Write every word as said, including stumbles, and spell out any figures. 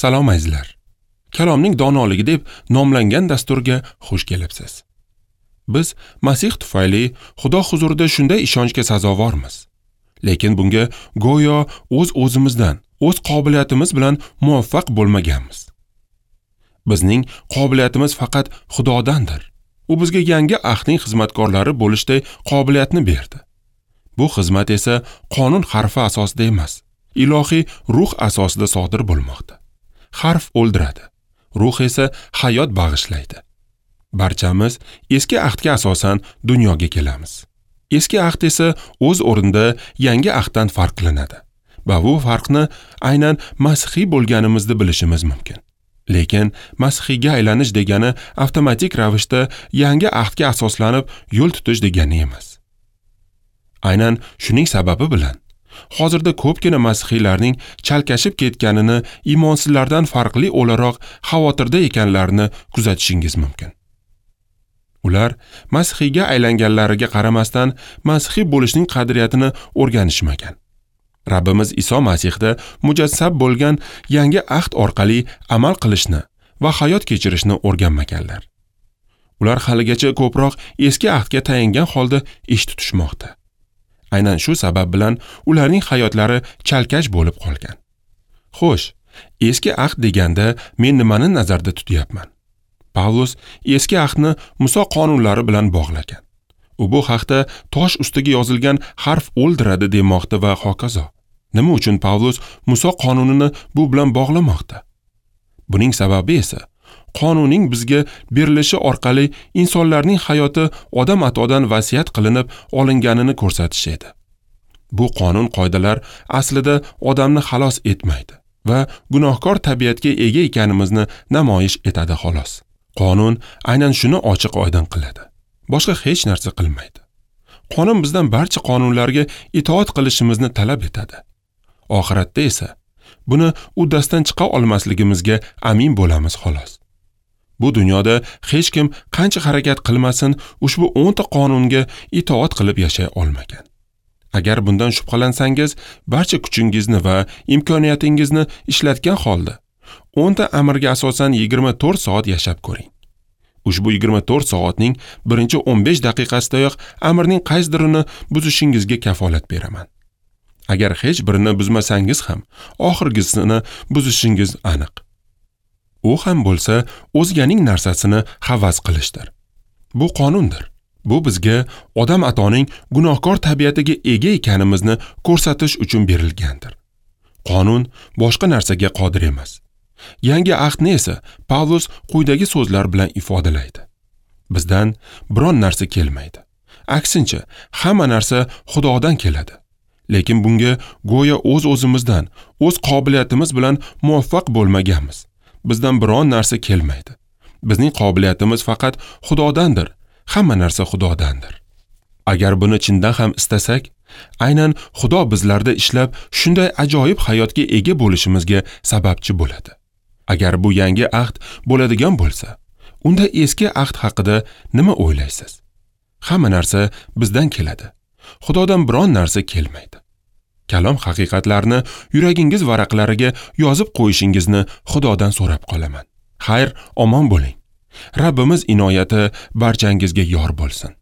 Salom azizlar. Kalomning donoligi deb nomlangan dasturga xush kelibsiz. Biz Masih tufayli Xudo huzurida shunday ishonchga sazovormiz. Lekin bunga go'yo o'z-o'zimizdan, o'z qobiliyatimiz bilan muvaffaq bo'lmaganmiz. Bizning qobiliyatimiz faqat Xudodandir. U bizga yangi ahdning xizmatkorlari bo'lishday qobiliyatni berdi. Bu xizmat esa qonun harfi asosida emas, ilohiy ruh asosida sodir bo'lmoqda. Harf o'ldiradi, ruh esa hayot bag'ishlaydi. Barchamiz eski ahdga asosan dunyoga kelamiz. Eski ahd esa o'z o'rnida yangi ahddan farqlanadi. Va bu farqni aynan masihiy bo'lganimizni bilishimiz mumkin. Lekin masihiyga aylanish degani avtomatik ravishda yangi ahdga asoslanib yo'l tutish degani emas. Aynan shuning sababi bilan hozirda ko'pgina masihiylarning chalkashib ketganini iymonsizlardan farqli o'laroq xavotirda ekanlarini kuzatishingiz mumkin. Ular masihiyga aylanganlariga qaramasdan masihiy bo'lishning qadriyatini o'rganishmagan. Rabbimiz Iso Masihda mujassam bo'lgan yangi ahd orqali amal qilishni va hayot kechirishni o'rganmaganlar. Ular haligacha ko'proq eski ahdga tayangan holda ish tutishmoqda. Aynan shu sabab bilan ularning hayotlari chalkash bo'lib qolgan. Xo'sh, eski ahd deganda men nimani nazarda tutyapman? Pavlus eski ahdni Muso qonunlari bilan bog'lagan. U bu haqda tosh ustiga yozilgan harf o'ldiradi demoqda va hokazo. Nima uchun Pavlus Muso qonunini bu bilan bog'lamoqda? Buning sababi esa qonunning bizga berilishi orqali insonlarning hayoti odam atodan vasiyat qilinib olinganini ko'rsatish edi. Bu qonun qoidalar aslida odamni xalos etmaydi va gunohkor tabiatga ega ekanimizni namoyish etadi xolos. Qonun aynan shuni ochiq oydin qiladi. Boshqa hech narsa qilmaydi. Qonun bizdan barcha qonunlarga itoat qilishimizni talab etadi. Oxiratda esa buni uddasidan chiqa olmasligimizga amin bo'lamiz xolos. Bu dunyoda hech kim qancha harakat qilmasin, ushbu o'nta qonunga itoat qilib yashay olmagan. Agar bundan shubhalansangiz, barcha kuchingizni va imkoniyatingizni ishlatgan holda o'nta amirga asosan yigirma to'rt soat yashab ko'ring. Ushbu yigirma to'rt soatning birinchi o'n besh daqiqasidayoq amirning qaysidirini buzishingizga kafolat beraman. Agar hech birini buzmasangiz ham, oxirgisini buzishingiz aniq. U ham bo'lsa o'zganing narsasini havas qilishdir. Bu qonundir. Bu bizga odam atoning gunohkor tabiatiga ega ekanimizni ko'rsatish uchun berilgandir. Qonun boshqa narsaga qodir emas. Yangi ahdni esa Pavlus quyidagi so'zlar bilan ifodalaydi. Bizdan biron narsa kelmaydi. Aksincha, hamma narsa Xudodan keladi. Lekin bunga go'yo o'z-o'zimizdan, o'z qobiliyatimiz bilan muvaffaq bo'lmaganmiz. Bizdan biron narsa kelmaydi. Bizning qobiliyatimiz faqat Xudodandir. Hamma narsa Xudodandir. Agar buni chindan ham istasak, aynan Xudo bizlarda ishlab shunday ajoyib hayotga ega bo'lishimizga sababchi bo'ladi. Agar bu yangi ahd bo'ladigan bo'lsa, unda eski ahd haqida nima o'ylaysiz? Hamma narsa bizdan keladi. Xudodan biron narsa kelmaydi. Kalom haqiqatlarini yuragingiz varaqlariga yozib qo'yishingizni Xudodan so'rab qolaman. Xayr, omon bo'ling. Rabbimiz inoyati barchangizga yor bo'lsin.